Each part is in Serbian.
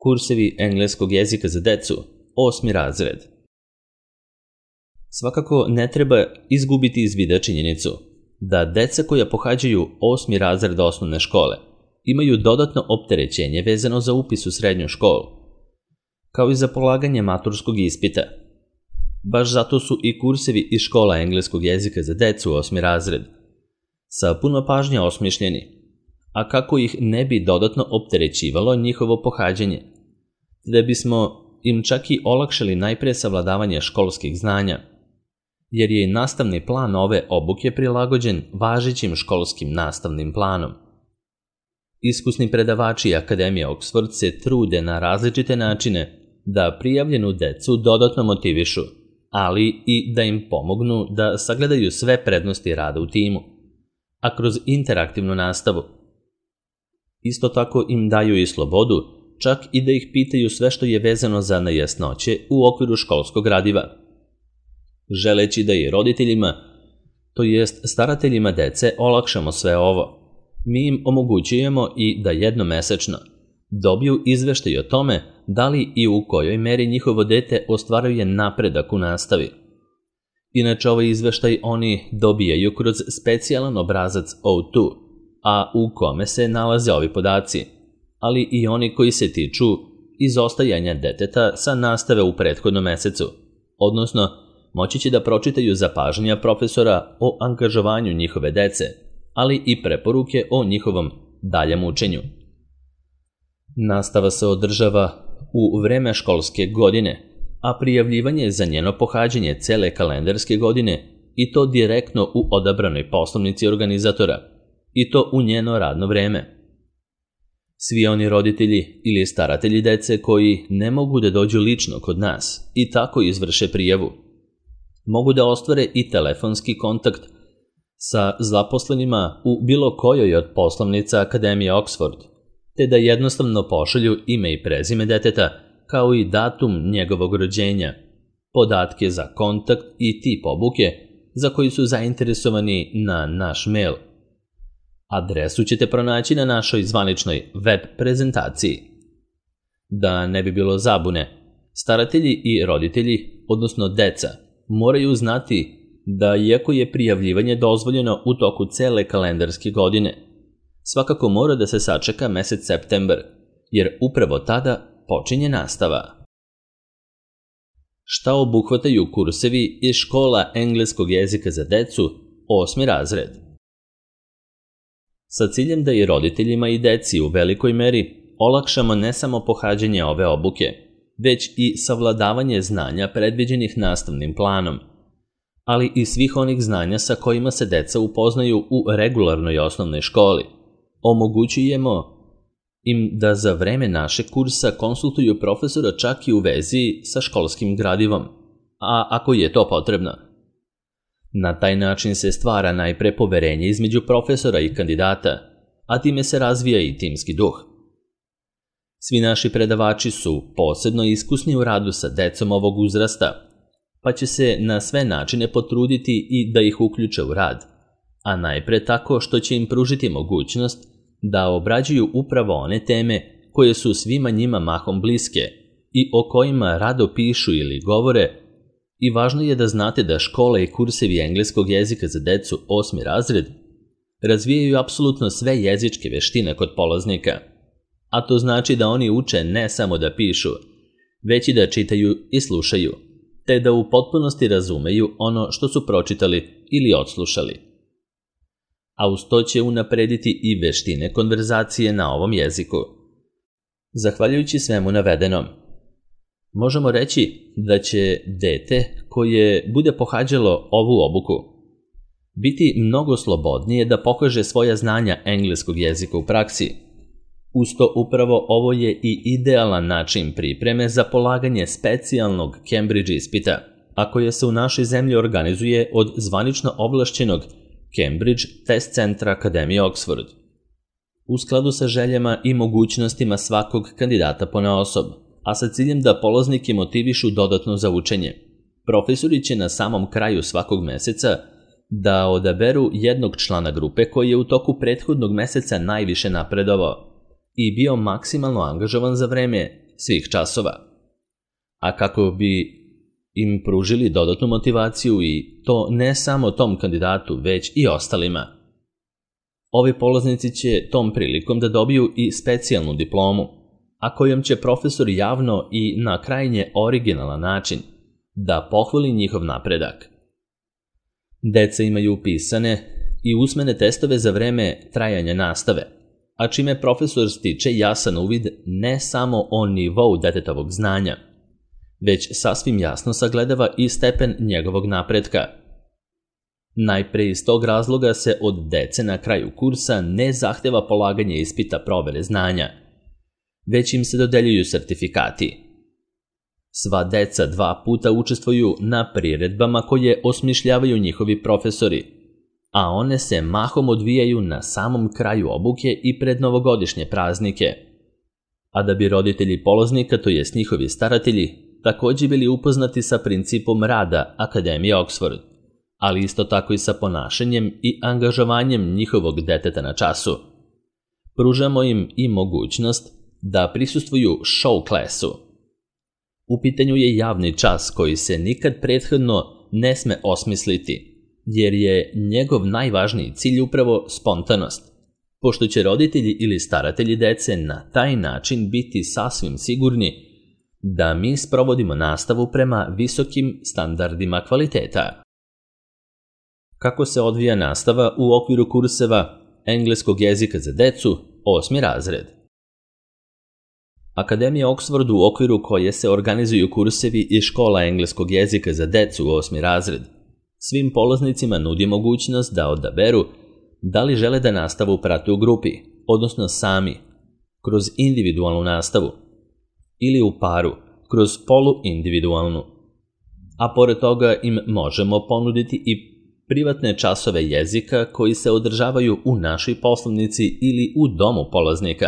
Kursevi engleskog jezika za decu, 8. razred. Svakako ne treba izgubiti iz vida činjenicu da deca koja pohađaju 8. razred osnovne škole imaju dodatno opterećenje vezano za upis u srednju školu, kao i za polaganje maturskog ispita. Baš zato su i kursevi iz škola engleskog jezika za decu 8. razred sa puno pažnje osmišljeni, a kako ih ne bi dodatno opterećivalo njihovo pohađanje, da bismo im čak i olakšali najpre savladavanje školskih znanja, jer je nastavni plan ove obuke prilagođen važećim školskim nastavnim planom. Iskusni predavači Akademije Oxford se trude na različite načine da prijavljenu decu dodatno motivišu, ali i da im pomognu da sagledaju sve prednosti rada u timu, a kroz interaktivnu nastavu. Isto tako im daju i slobodu, čak i da ih pitaju sve što je vezano za nejasnoće u okviru školskog gradiva. Želeći da i roditeljima, to jest starateljima dece, olakšamo sve ovo, mi im omogućujemo i da jednomesečno dobiju izveštaj o tome da li i u kojoj meri njihovo dete ostvaruje napredak u nastavi. Inače, ovaj izveštaj oni dobijaju kroz specijalan obrazac O2, a u kome se nalaze ovi podaci, ali i oni koji se tiču izostajanja deteta sa nastave u prethodnom mesecu, odnosno moći će da pročitaju zapažanja profesora o angažovanju njihove dece, ali i preporuke o njihovom daljem učenju. Nastava se održava u vreme školske godine, a prijavljivanje za njeno pohađanje cele kalendarske godine i to direktno u odabranoj poslovnici organizatora i to u njeno radno vreme. Svi oni roditelji ili staratelji dece koji ne mogu da dođu lično kod nas i tako izvrše prijavu, mogu da ostvare i telefonski kontakt sa zaposlenima u bilo kojoj od poslovnica Akademije Oxford, te da jednostavno pošalju ime i prezime deteta, kao i datum njegovog rođenja, podatke za kontakt i tip obuke za koji su zainteresovani na naš mail. Adresu ćete pronaći na našoj zvaničnoj web prezentaciji. Da ne bi bilo zabune, staratelji i roditelji, odnosno deca, moraju znati da iako je prijavljivanje dozvoljeno u toku cele kalendarske godine, svakako mora da se sačeka mesec septembar, jer upravo tada počinje nastava. Šta obuhvataju kursevi iz škola engleskog jezika za decu 8. razred? Sa ciljem da i roditeljima i deci u velikoj meri olakšamo ne samo pohađanje ove obuke, već i savladavanje znanja predviđenih nastavnim planom, ali i svih onih znanja sa kojima se deca upoznaju u regularnoj osnovnoj školi. Omogućujemo im da za vreme našeg kursa konsultuju profesora čak i u vezi sa školskim gradivom, a ako je to potrebno. Na taj način se stvara najpre poverenje između profesora i kandidata, a time se razvija i timski duh. Svi naši predavači su posebno iskusni u radu sa decom ovog uzrasta, pa će se na sve načine potruditi i da ih uključe u rad, a najpre tako što će im pružiti mogućnost da obrađuju upravo one teme koje su svima njima mahom bliske i o kojima rado pišu ili govore, i važno je da znate da škole i kursevi engleskog jezika za decu 8. razred razvijaju apsolutno sve jezičke veštine kod polaznika, a to znači da oni uče ne samo da pišu, već i da čitaju i slušaju, te da u potpunosti razumeju ono što su pročitali ili odslušali. A uz to će unaprediti i veštine konverzacije na ovom jeziku. Zahvaljujući svemu navedenom, možemo reći da će dete koje bude pohađalo ovu obuku biti mnogo slobodnije da pokaže svoja znanja engleskog jezika u praksi. Uz to upravo ovo je i idealan način pripreme za polaganje specijalnog Cambridge ispita, a koje se u našoj zemlji organizuje od zvanično ovlašćenog Cambridge Test Centra Akademije Oxford. U skladu sa željama i mogućnostima svakog kandidata ponaosob, a sa ciljem da polaznike motivišu dodatno za učenje, profesori će na samom kraju svakog meseca da odaberu jednog člana grupe koji je u toku prethodnog meseca najviše napredovao i bio maksimalno angažovan za vreme svih časova. A kako bi im pružili dodatnu motivaciju i to ne samo tom kandidatu, već i ostalima. Ovi polaznici će tom prilikom da dobiju i specijalnu diplomu, a kojom će profesor javno i na krajnje originalan način da pohvali njihov napredak. Deca imaju pisane i usmene testove za vreme trajanja nastave, a čime profesor stiče jasan uvid ne samo o nivou detetovog znanja, već sasvim jasno sagledava i stepen njegovog napretka. Najpre iz tog razloga se od dece na kraju kursa ne zahteva polaganje ispita provere znanja, već im se dodeljuju sertifikati. Sva deca 2 puta učestvuju na priredbama koje osmišljavaju njihovi profesori, a one se mahom odvijaju na samom kraju obuke i pred novogodišnje praznike. A da bi roditelji polaznika, to jest njihovi staratelji, također bili upoznati sa principom rada Akademije Oxford, ali isto tako i sa ponašanjem i angažovanjem njihovog deteta na času. Pružamo im i mogućnost da prisustvuju show klasu. U pitanju je javni čas koji se nikad prethodno ne sme osmisliti, jer je njegov najvažniji cilj upravo spontanost, pošto će roditelji ili staratelji dece na taj način biti sasvim sigurni da mi sprovodimo nastavu prema visokim standardima kvaliteta. Kako se odvija nastava u okviru kurseva engleskog jezika za decu, 8. razred? Akademija Oxford, u okviru koje se organizuju kursevi i škola engleskog jezika za decu, 8. razred, svim polaznicima nudi mogućnost da odaberu da li žele da nastavu prate u grupi, odnosno sami, kroz individualnu nastavu, ili u paru, kroz poluindividualnu. A pored toga im možemo ponuditi i privatne časove jezika koji se održavaju u našoj poslovnici ili u domu polaznika.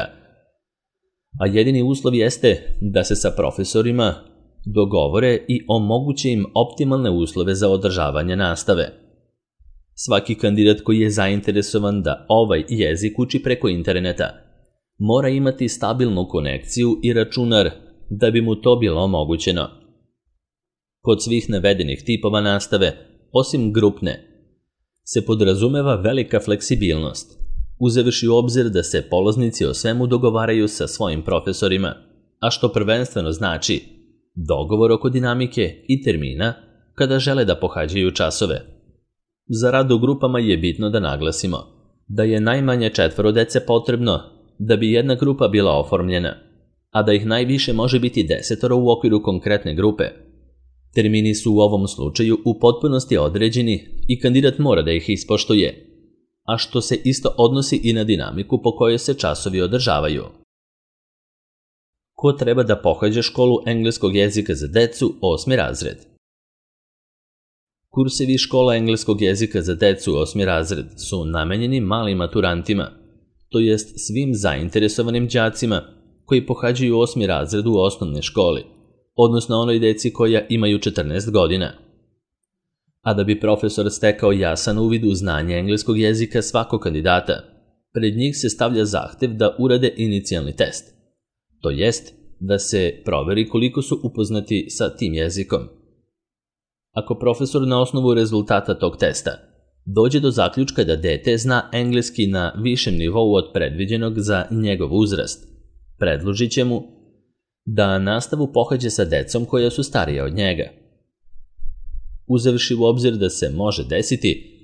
A jedini uslov jeste da se sa profesorima dogovore i omoguće im optimalne uslove za održavanje nastave. Svaki kandidat koji je zainteresovan da ovaj jezik uči preko interneta mora imati stabilnu konekciju i računar da bi mu to bilo omogućeno. Kod svih navedenih tipova nastave, osim grupne, se podrazumeva velika fleksibilnost, uzevši u obzir da se polaznici o svemu dogovaraju sa svojim profesorima, a što prvenstveno znači dogovor oko dinamike i termina kada žele da pohađaju časove. Za rad u grupama je bitno da naglasimo da je najmanje 4 dece potrebno da bi jedna grupa bila oformljena, a da ih najviše može biti 10 u okviru konkretne grupe. Termini su u ovom slučaju u potpunosti određeni i kandidat mora da ih ispoštuje, a što se isto odnosi i na dinamiku po kojoj se časovi održavaju. Ko treba da pohađa školu engleskog jezika za decu, 8. razred? Kursevi škola engleskog jezika za decu, 8. razred, su namenjeni malim maturantima, to jest svim zainteresovanim đacima koji pohađaju 8. razred u osnovnoj školi, odnosno onoj deci koja imaju 14 godina. A da bi profesor stekao jasan uvid u znanje engleskog jezika svakog kandidata, pred njih se stavlja zahtev da urade inicijalni test, to jest da se proveri koliko su upoznati sa tim jezikom. Ako profesor na osnovu rezultata tog testa dođe do zaključka da dete zna engleski na višem nivou od predviđenog za njegov uzrast, predložit će mu da nastavu pohađa sa decom koja su starija od njega. Uzevši u obzir da se može desiti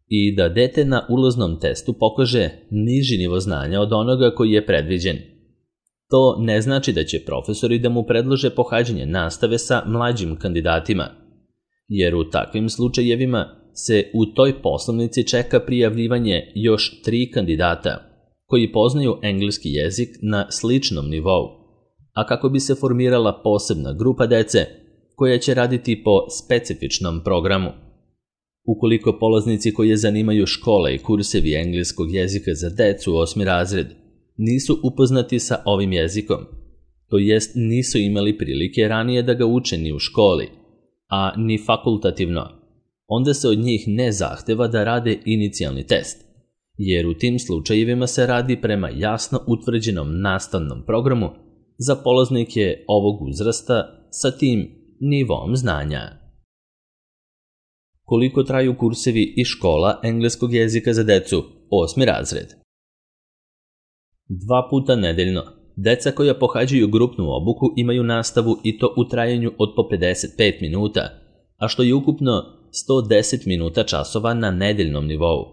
i da dete na ulaznom testu pokaže niži nivo znanja od onoga koji je predviđen. To ne znači da će profesori da mu predlože pohađanje nastave sa mlađim kandidatima, jer u takvim slučajevima se u toj poslovnici čeka prijavljivanje još 3 kandidata koji poznaju engleski jezik na sličnom nivou, a kako bi se formirala posebna grupa dece koja će raditi po specifičnom programu. Ukoliko polaznici koji zanimaju škole i kursevi engleskog jezika za decu 8. razred nisu upoznati sa ovim jezikom, to jest nisu imali prilike ranije da ga uče ni u školi, a ni fakultativno, onda se od njih ne zahteva da rade inicijalni test, jer u tim slučajevima se radi prema jasno utvrđenom nastavnom programu za polaznike ovog uzrasta sa tim nivom znanja. Koliko traju kursevi i škola engleskog jezika za decu, 8. razred? 2 puta nedeljno. Deca koja pohađaju grupnu obuku imaju nastavu i to u trajanju od po 55 minuta, a što je ukupno 110 minuta časova na nedeljnom nivou.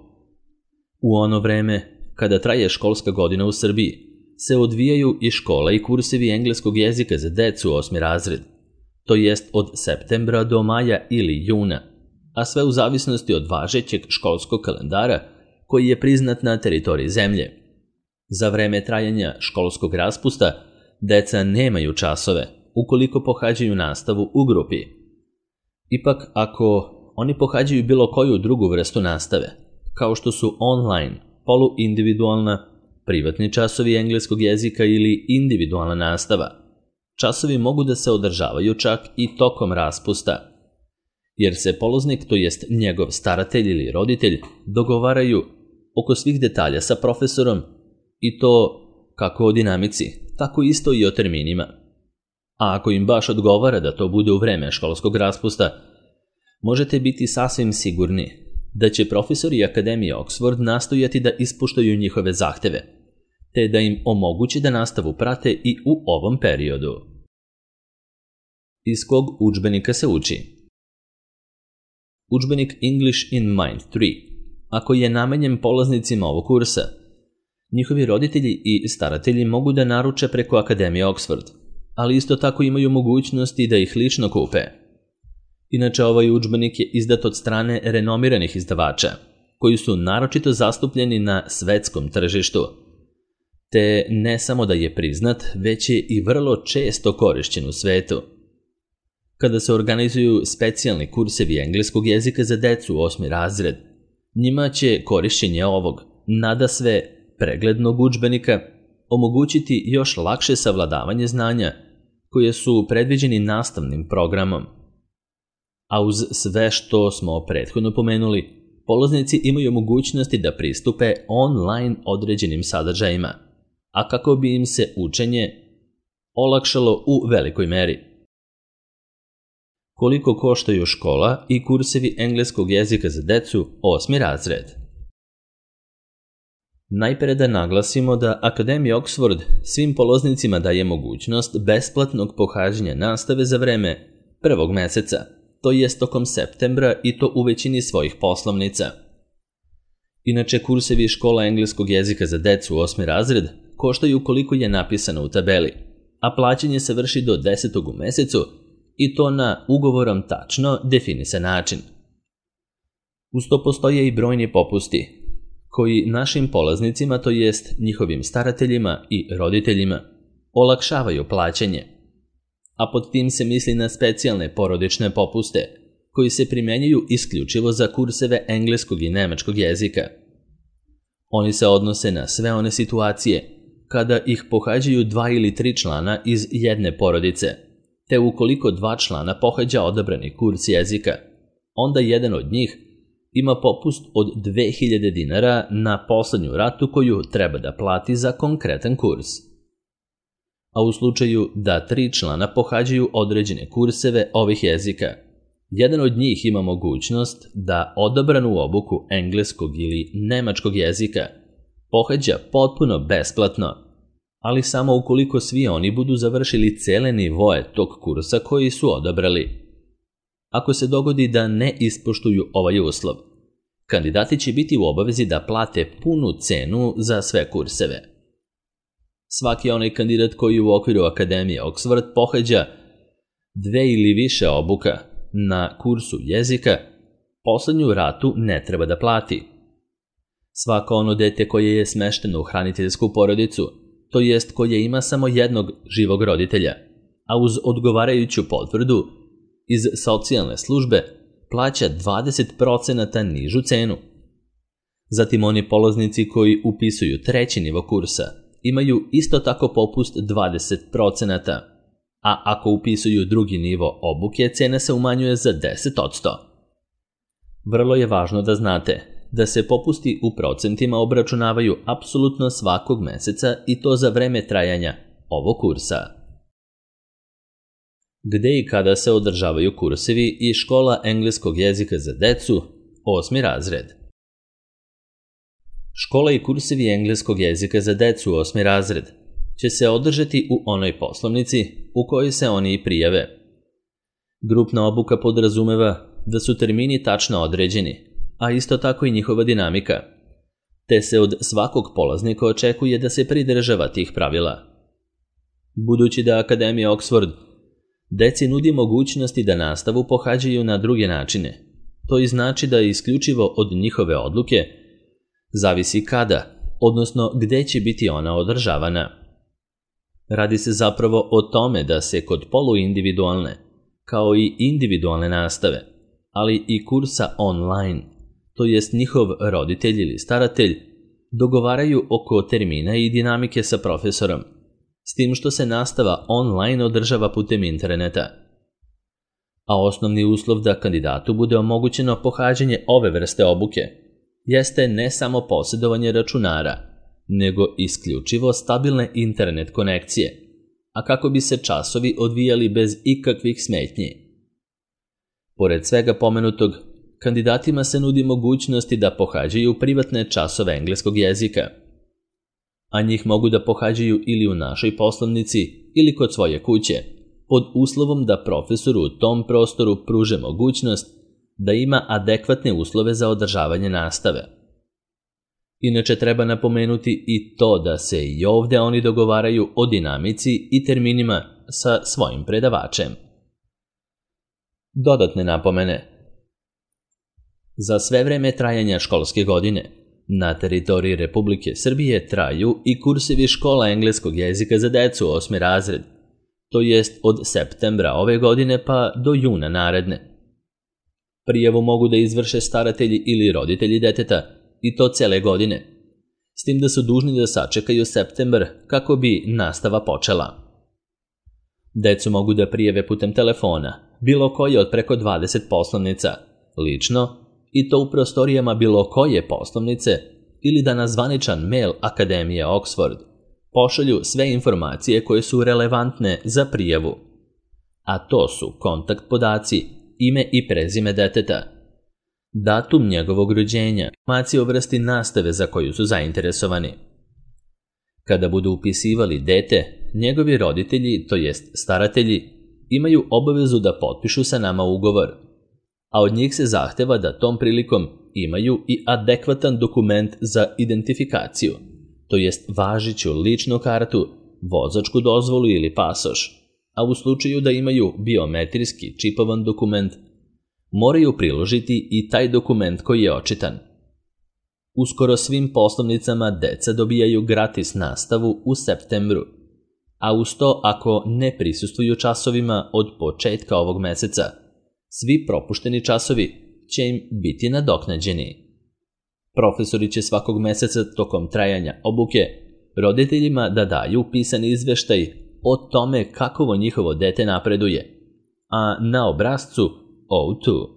U ono vreme, kada traje školska godina u Srbiji, se odvijaju i škola i kursevi engleskog jezika za decu 8. razred, to jest od septembra do maja ili juna, a sve u zavisnosti od važećeg školskog kalendara koji je priznat na teritoriji zemlje. Za vreme trajanja školskog raspusta deca nemaju časove ukoliko pohađaju nastavu u grupi. Ipak, ako oni pohađaju bilo koju drugu vrstu nastave, kao što su online, poluindividualna, privatni časovi engleskog jezika ili individualna nastava, časovi mogu da se održavaju čak i tokom raspusta, jer se polaznik, to jest njegov staratelj ili roditelj, dogovaraju oko svih detalja sa profesorom i to kako o dinamici, tako isto i o terminima. A ako im baš odgovara da to bude u vreme školskog raspusta, možete biti sasvim sigurni da će profesori Akademije Oxford nastojati da ispuštaju njihove zahteve, te da im omogući da nastavu prate i u ovom periodu. Iz kog udžbenika se uči? Udžbenik English in Mind 3, ako je namenjen polaznicima ovog kursa, njihovi roditelji i staratelji mogu da naruče preko Akademije Oxford, ali isto tako imaju mogućnosti da ih lično kupe. Inače, ovaj udžbenik je izdat od strane renomiranih izdavača, koji su naročito zastupljeni na svetskom tržištu, te ne samo da je priznat, već je i vrlo često korišćen u svetu. Kada se organizuju specijalni kursevi engleskog jezika za decu 8. razred, njima će korišćenje ovog nadasve preglednog udžbenika omogućiti još lakše savladavanje znanja koje su predviđeni nastavnim programom. A uz sve što smo prethodno pomenuli, polaznici imaju mogućnosti da pristupe online određenim sadržajima, a kako bi im se učenje olakšalo u velikoj meri. Koliko koštaju škola i kursevi engleskog jezika za decu 8. razred? Najpre da naglasimo da Akademija Oxford svim polaznicima daje mogućnost besplatnog pohađanja nastave za vreme prvog meseca, to jest tokom septembra i to u većini svojih poslovnica. Inače, kursevi škola engleskog jezika za decu 8. razred koštaju koliko je napisano u tabeli, a plaćanje se vrši do 10. u mesecu i to na ugovorom tačno definisan način. Uz to postoje i brojni popusti, koji našim polaznicima, to jest njihovim starateljima i roditeljima, olakšavaju plaćanje. A pod tim se misli na specijalne porodične popuste, koji se primenjuju isključivo za kurseve engleskog i nemačkog jezika. Oni se odnose na sve one situacije kada ih pohađaju 2 ili 3 člana iz jedne porodice, te ukoliko 2 člana pohađa odabrani kurs jezika, onda jedan od njih ima popust od 2000 dinara na poslednju ratu koju treba da plati za konkretan kurs. A u slučaju da 3 člana pohađaju određene kurseve ovih jezika, jedan od njih ima mogućnost da odabranu obuku engleskog ili nemačkog jezika pohađa potpuno besplatno, ali samo ukoliko svi oni budu završili cele nivoe tog kursa koji su odabrali. Ako se dogodi da ne ispoštuju ovaj uslov, kandidati će biti u obavezi da plate punu cenu za sve kurseve. Svaki onaj kandidat koji u okviru Akademije Oxford pohađa 2 ili više obuka na kursu jezika, poslednju ratu ne treba da plati. Svako ono dete koje je smešteno u hraniteljsku porodicu, to jest koje ima samo jednog živog roditelja, a uz odgovarajuću potvrdu iz socijalne službe, plaća 20% nižu cenu. Zatim oni polaznici koji upisuju 3. nivo kursa imaju isto tako popust 20%, a ako upisuju 2. nivo obuke, cena se umanjuje za 10%. Vrlo je važno da znate da se popusti u procentima obračunavaju apsolutno svakog meseca i to za vreme trajanja ovog kursa. Gde i kada se održavaju kursevi i škola engleskog jezika za decu, 8. razred. Škola i kursevi engleskog jezika za decu 8. razred će se održati u onoj poslovnici u kojoj se oni i prijave. Grupna obuka podrazumeva da su termini tačno određeni, a isto tako i njihova dinamika, te se od svakog polaznika očekuje da se pridržava tih pravila. Budući da Akademija Oxford deci nudi mogućnosti da nastavu pohađaju na druge načine, to i znači da isključivo od njihove odluke zavisi kada, odnosno gde će biti ona održavana. Radi se zapravo o tome da se kod poluindividualne, kao i individualne nastave, ali i kursa online, to jest njihov roditelj ili staratelj, dogovaraju oko termina i dinamike sa profesorom, s tim što se nastava online održava putem interneta. A osnovni uslov da kandidatu bude omogućeno pohađanje ove vrste obuke jeste ne samo posjedovanje računara, nego isključivo stabilne internet konekcije, a kako bi se časovi odvijali bez ikakvih smetnji. Pored svega pomenutog, kandidatima se nudi mogućnosti da pohađaju privatne časove engleskog jezika, a njih mogu da pohađaju ili u našoj poslovnici ili kod svoje kuće, pod uslovom da profesoru u tom prostoru pruže mogućnost da ima adekvatne uslove za održavanje nastave. Inače treba napomenuti i to da se i ovde oni dogovaraju o dinamici i terminima sa svojim predavačem. Dodatne napomene. Za sve vreme trajanja školske godine na teritoriji Republike Srbije traju i kursevi škola engleskog jezika za decu 8. razred, to jest od septembra ove godine pa do juna naredne. Prijavu mogu da izvrše staratelji ili roditelji deteta, i to cele godine, s tim da su dužni da sačekaju septembar kako bi nastava počela. Decu mogu da prijave putem telefona, bilo koje od preko 20 poslovnica, lično, i to u prostorijama bilo koje poslovnice, ili da na zvaničan mail Akademije Oxford pošalju sve informacije koje su relevantne za prijavu. A to su kontakt podaci, ime i prezime deteta, datum njegovog rođenja, informacije o vrsti nastave za koju su zainteresovani. Kada budu upisivali dete, njegovi roditelji, to jest staratelji, imaju obavezu da potpišu sa nama ugovor, a od njih se zahteva da tom prilikom imaju i adekvatan dokument za identifikaciju, to jest važeću ličnu kartu, vozačku dozvolu ili pasoš, a u slučaju da imaju biometrijski čipovan dokument, moraju priložiti i taj dokument koji je očitan. Uskoro svim poslovnicama deca dobijaju gratis nastavu u septembru, a uz to ako ne prisustvuju časovima od početka ovog meseca, svi propušteni časovi će im biti nadoknađeni. Profesori će svakog meseca tokom trajanja obuke roditeljima da daju pisani izveštaj o tome kakovo njihovo dete napreduje, a na obrascu O2